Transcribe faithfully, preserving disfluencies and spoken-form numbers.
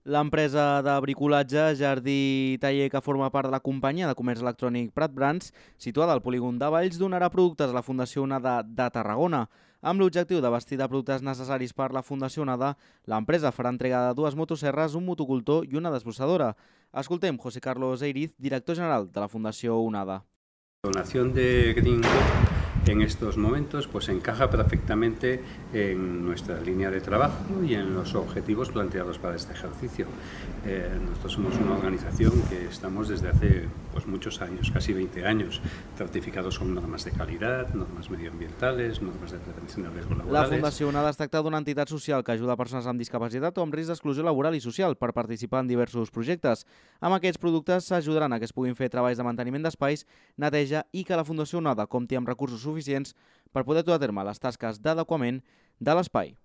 L'empresa de bricolatge Jardí Taller, que forma part de la companyia de comerç electrònic Prat Brands, situada al polígon de Valls, donarà productes a la Fundació Onada de Tarragona. Amb l'objectiu de vestir de productes necessaris per la Fundació Onada, l'empresa farà entrega de dues motoserres, un motocultor i una desbrossadora. Escoltem José Carlos Eiriz, director general de la Fundació Onada. La donación de Greenwood en estos momentos pues encaja perfectamente en nuestra línea de trabajo y en los objetivos planteados para este ejercicio. Eh, nosotros somos una organización que estamos desde hace pues, muchos años, casi veinte años, certificados con normas de calidad, normas medioambientales, normas de prevención de riesgos laborales. La Fundació Onada es tracta d'una entitat social que ajuda persones amb discapacitat o amb risc d'exclusió laboral i social per participar en diversos projectes. Amb aquests productes s'ajudaran a que es puguin fer treballs de manteniment d'espais, neteja i que la Fundació Onada compti amb recursos suficients per poder dur a terme les tasques d'adequament de l'espai.